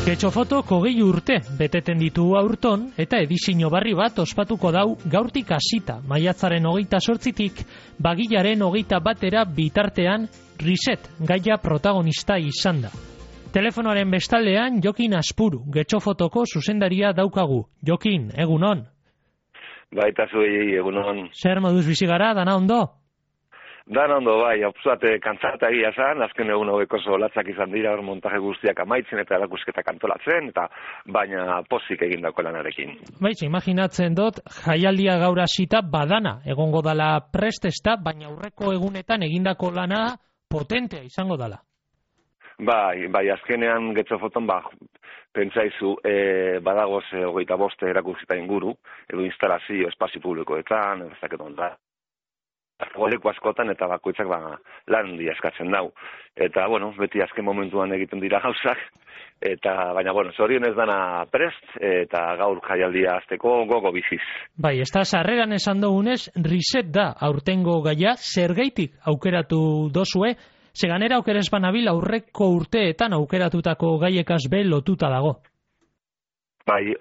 Getxofotok 20 urte beteten ditu aurton eta edizio berri bat ospatuko dau gaurtik hasita, maiatzaren 28tik bagilaren 21 bitartean Reset gaia protagonista izan da. Telefonoaren bestaldean Jokin Aspuru, Getxofotoko zuzendaria daukagu. Jokin, egunon. Baita zuei, egunon. Zer moduz bizi gara, dana ondo? Dan ondo, bai, apuzate kantzata egia zan, azken egun hauek oso latzak izan dira, hor montaje guztiak amaitzen eta erakusketak antolatzen, eta baina pozik egindako lanarekin. Baitz, imaginatzen dut, jaialdia gaur hasita badana, egongo dala prestesta, baina aurreko egunetan egindako lana potentea izango dala. Bai, azkenean Getxofoton, pentsaizu, badagoz 25 erakusketa inguru, edo instalazio espazio publikoetan, ez dakit onda. Leku askotan eta bakoitzak lan handia eskatzen dau. Eta, beti azken momentuan egiten dira gauzak, baina, zorionez dana prest, eta gaur jaialdia azteko gogo biziz. Bai, ez da, sarreran esan dugunez, Reset da aurtengo gaia, zergaitik aukeratu dozue, seganera aukerez banabil aurreko urteetan aukeratutako gaiekaz be lotuta dago. Bai,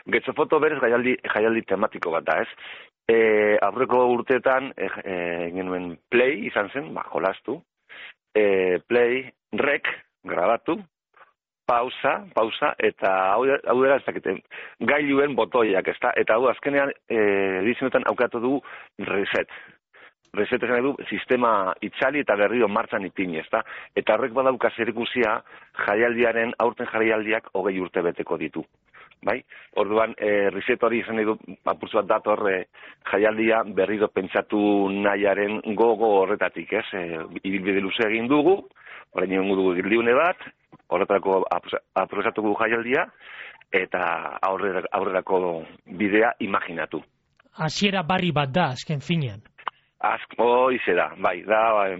Getxofoto berez jaialdi tematiko bat da, ez? Aurreko urteetan genuen play izan zen, jolastu, play, rec, grabatu, pausa, eta hau dira ez dakiten, gailuen botoiak, ezta? Eta hau azkenean edizionetan aukeratu du Reset. Reset esan edu sistema itzali eta berriro martxan ipini, ezta? Eta horrek badauka zerikusia jaialdiaren, aurten jaialdiak 20 urte beteko ditu. Bai? Orduan, Reset hori izan edu apurtzu bat dator jaialdia berriro pentsatu nahiaren gogo horretatik, ez? Ibilbide luze egin dugu, orain egon dugu gildiune bat, horretarako aprobetxatuko jaialdia, eta aurrerako bidea imaginatu. Hasiera barri bat da, azken finean. Hoize da, bai, da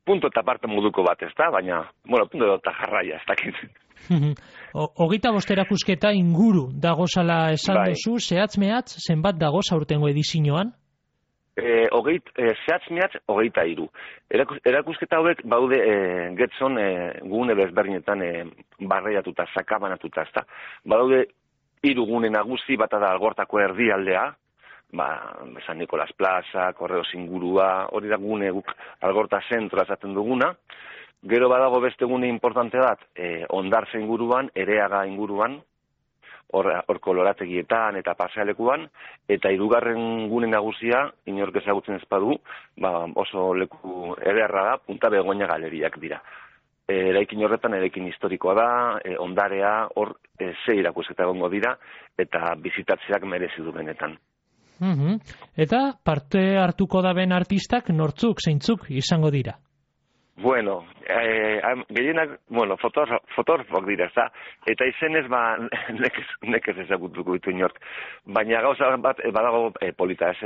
punto eta parte moduko bat, ez da? Baina, punto eta jarraia, ez dakit. 25 erakusketa inguru dagozala esan duzu, zehatz-mehatz, zenbat dagoz aurtengo edizioan? Zehatz-mehatz, 23. Erakusketa hauek baude Getxon gune bezberdinetan barreiatuta, sakabanatuta, ez da? Baude 3 gune nagusi, bata da Algortako erdialdea, San Nikolas Plaza, Korreos ingurua, hori da gune guk Algorta zentroa esaten duguna. Gero badago beste gune importante bat, Ondartza inguruan, Ereaga inguruan, hor kolorategietan eta pasealekuan, eta 3. gune nagusia, inork ezagutzen ez badu, oso leku ederra da, Punta Begoña galeriak dira. Eraikin horretan, eraikin historikoa da, ondarea, hor 6 erakusketa egongo dira, eta bizitatzeak merezi du benetan. Eta parte hartuko da ben artistak nortzuk, zeintzuk izango dira? Gehienak, fotografok dira, ez da? Eta izenez, nekez ezagutuko ditu inork. Baina gauza bat, badago polita, ez?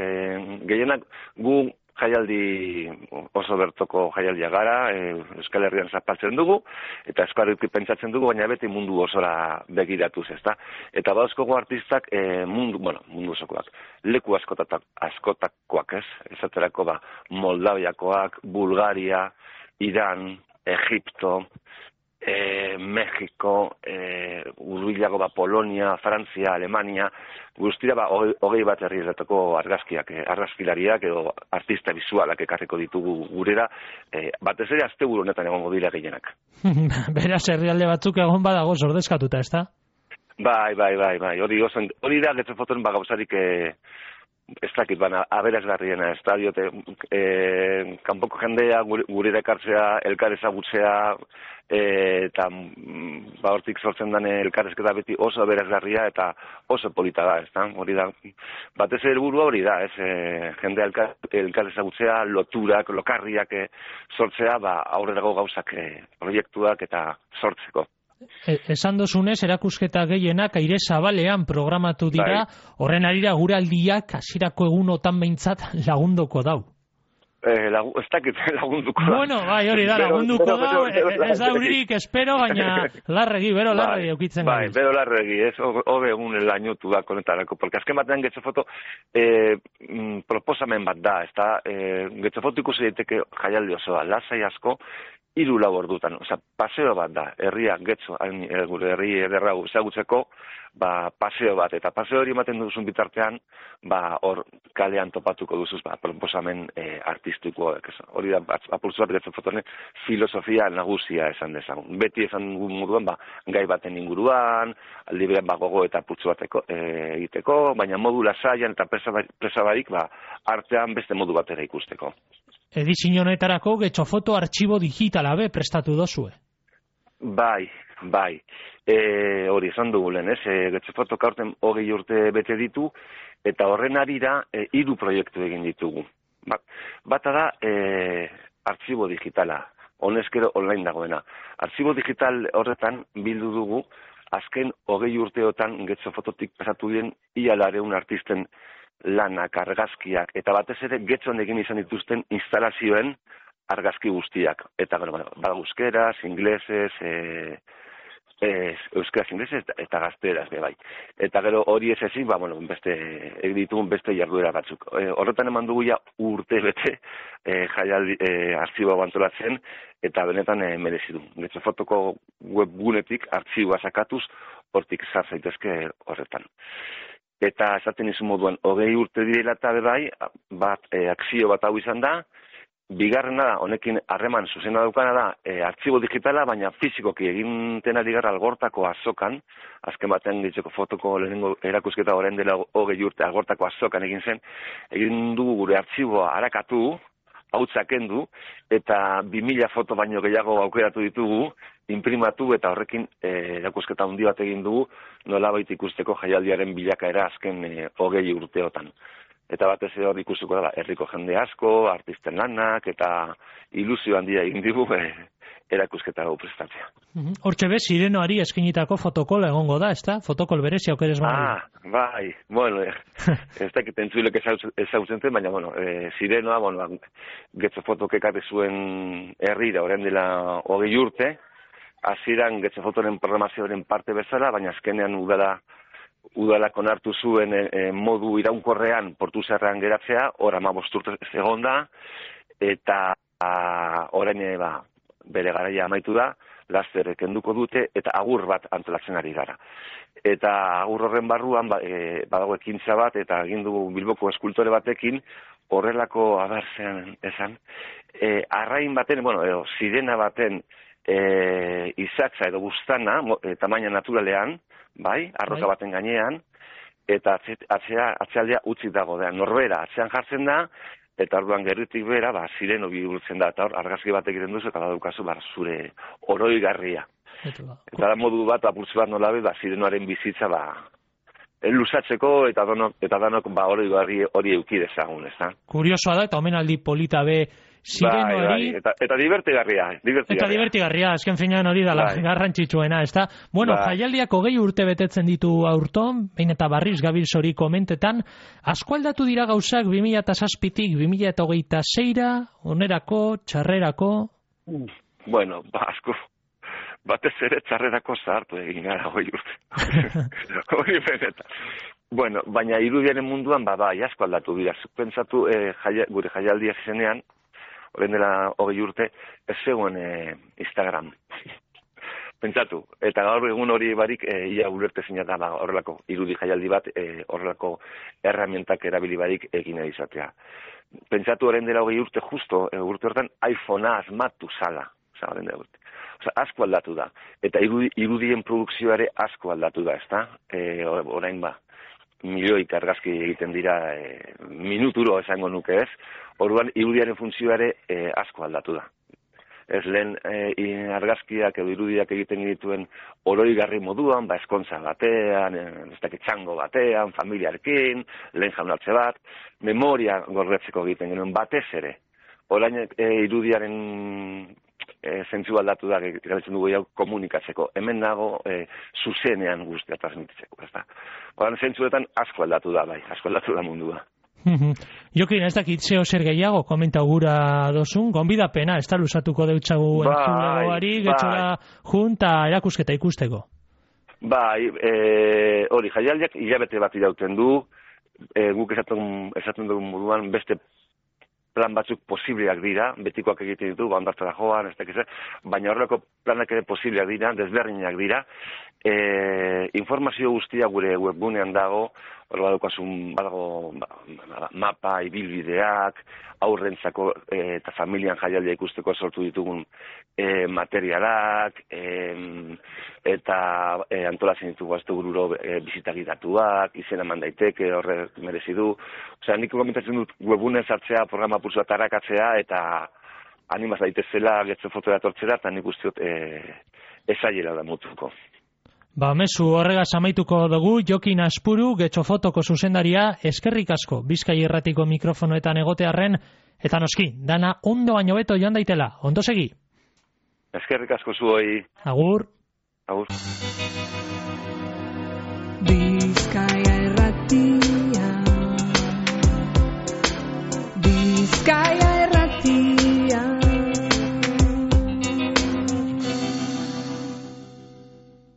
Gehienak gu jaialdi oso bertoko jaialdia gara, Euskal Herrian zapaltzen dugu, eta eskuarriki pentsatzen dugu, baina beti mundu osora begiratuz, ez da? Eta badauzkogu artistak mundu osokoak, leku askotakoak, ez? Esaterako Moldaviakoak, Bulgaria, Iran, Egipto, Mexiko, urbilago Polonia, Frantzia, Alemania, guztira 21 herrietako argazkilariak edo artista bizualak ekarriko ditugu gurera, batez ere asteburu honetan egongo dira gehienak. Beraz, herrialde batzuk egon badago ordezkatuta, ez da? Bai, hori da Getxofoton gauzarik ez dakit, aberasgarriena, ez da, diote, kanpoko jendea gurera ekartzea, elkar ezagutzea, eta hortik sortzen den elkarrezketa beti oso aberasgarria eta oso polita da, ez da, hori da, batez helburua hori da, ez, jendea elkar ezagutzea, loturak, lokarriak sortzea, aurrerago gauzak proiektuak eta sortzeko. Esan dozunez, erakusketa gehienak aire zabalean programatu dira, horren arira guraldiak hasierako egunotan behintzat lagunduko dau. Ez dakit lagunduko da. Hori da, lagunduko da, ez da uririk espero, baina larregi, eukitzen gari. Bero larregi, ez, hobe egun lainotu da konetarako, porque azken batean Getxofoto proposamen bat da, ez da, Getxofoto ikusi daiteke jaialdi osoa, lasai asko, 3-4 ordutan. Osea, paseo bat da, herria getxo, gure herri ederra ezagutzeko, paseo bat, eta paseo hori ematen duzun bitartean, hor kalean topatuko duzuz, proposamen artistiko, hori da, apurtzu bat getxo fotonen, filosofia nagusia esan dezagun. Beti esan moduan, gai baten inguruan, aldi berean gogo eta apurtzu bateko egiteko, baina modu lasaian eta presabarik, artean beste modu batera ikusteko. Edizio honetarako getxo foto artxibo digitala prestatu dozue. Bai. Hori esan dugu lehen, getxo foto kaurten 20 urte bete ditu, eta horren arira 3 proiektu egin ditugu. Bata da artxibo digitala, honezkero online dagoena. Artxibo digital horretan bildu dugu, azken 20 urteotan getxo fototik pasatu diren ia 200 artisten lanak, argazkiak, eta batez ere getxon egin izan dituzten instalazioen argazki guztiak. Eta, euskeraz, inglesez, euskaraz, inglesez, eta gazteraz, bai. Eta gero hori ez ezin, ditugun beste jarduera batzuk. Horretan eman dugu ja urte bete artxiboa antolatzen, eta benetan merezi du. Getxo fotoko webgunetik artxiboa sakatuz, hortik zar zaitezke horretan. Eta esaten izun moduan, 20 urte direla eta bai, akzio bat hau izan da, bigarrena da, honekin harreman zuzena daukana da, artxibo digitala, baina fizikoki eginten ari gara Algortako azokan, azken batean ditzeko fotoko lehenengo erakusketa orain dela 20 urte Algortako azokan egin dugu gure artxiboa harakatu, hautsak kendu, eta 2000 foto baino gehiago aukeratu ditugu, imprimatu eta horrekin erakusketa handi bat egin dugu, nolabait ikusteko jaialdiaren bilakaera azken 20 urteotan. Eta batez ere hor ikustuko da, herriko jende asko, artisten lanak, eta ilusio handia egin digu erakusketa hau prestatzea. Hortxe bez, Sirenoari eskinitako fotokol egongo da, ezta? Fotokol berezi aukerez badu. Bai, ez dakit entzulek ezautzen zen, baina, Sirenoa, getxo fotok ekarri zuen herrira, orain dela 20 urte, hasieran getxo fotoren programazioaren parte bezala, baina azkenean udalak onartu zuen modu iraunkorrean Portuzarrean geratzea, hor 15 urte egon da, eta orain bere garaia amaitu da, laster kenduko dute, eta agur bat antolatzen ari gara. Eta agur horren barruan badago ekintza bat, eta egin dugu Bilboko eskultore batekin, horrelako abertzean esan, arrain baten, sirena baten izatza edo buztana, tamaina naturalean, bai, arroka baten gainean, eta atzealdea utzi dago da. Norbera atzean jartzen da, eta orduan gerritik bera, Sireno bihurtzen da, eta hor argazki bat egiten duzu, eta badukazu zure oroigarria. Eta da modu bat, apurtzu bat nolabe, Sirenoaren bizitza, luzatzeko, eta danok oroigarri hori euki dezagun, ez da? Kuriosoa da, eta omenaldi polita Sirenoari... Eta divertigarria. Eta divertigarria, azken finean hori dala garrantzitsuena, ez da? Jaialdiak 20 urte betetzen ditu aurton, behin eta barriz gabil zori komentetan, asko aldatu dira gauzak 2007-tik 2026-ra, onerako, txarrerako... asko. Batez ere txarrerako zahartu egin gara 20 urte. Hori benetan. Baina irudiaren munduan, asko aldatu dira. Pentsatu gure jaialdia zenean, orain dela 20 urte, ez zegoen Instagram. Pentsatu, eta gaur egun hori barik ia ulertezina da horrelako irudi jaialdi bat, horrelako erramientak erabili barik egin izatea. Pentsatu orain dela 20 urte justo, urte horretan iPhonea asmatu zala. Orain dela urte. Asko aldatu da. Eta irudien produkzioare asko aldatu da, ezta? Orain milioik argazki egiten dira minuturo esango nuke ez. Orduan irudiaren funtzioare asko aldatu da. Ez lehen argazkiak edo irudiak egiten dituen oroigarri moduan, eskontza batean, ez dakit txango batean, familiarekin, lehen jaunartze bat, memoria gordetzeko egiten genuen batez ere. Orain irudiaren zentzu aldatu da, galetzen dugu jau komunikatzeko. Hemen nago zuzenean guztia transmititzeko, ez da. Orain zentzuetan asko aldatu da, asko aldatu da mundua. Jokin, ez dakit zeo zer gehiago, komenta gura dozun, gonbidapena, ez da luzatuko deutzagu entzulegoari, getxora junta erakusketa ikusteko. Hori, jaialdiak hilabete bat irauten du, guk esaten dugun moduan beste plan batzuk posibleak dira, betikoak egiten ditu, ondartzara joan, ez dakiz, baina horrelako planak ere posibleak dira, desberdinak dira. Informazio guztia gure webgunean dago, hor badaukasun mapa, ibilbideak, aurrentzako eta familian jaialdia ikusteko sortu ditugun materialak, eta antolatzen ditugu astebururo bizita gidatuak, izena eman daiteke, horrek merezi du. Osea, nik komentatzen dut webgunean sartzea, programa pulsua tarakatzea, eta animaz daitezela Getxo Fotora etortzera, eta nik usteot ezaiela da mutuko. Mezu horregaz amaituko dugu, Jokin Aspuru, Getxo Fotoko zuzendaria, eskerrik asko, Bizkai Irratiko mikrofonoetan egotearren, eta noski, dana ondo baino beto joan daitela, ondo segi. Eskerrik asko zuoi. Agur. Agur. Bizkaia Irrati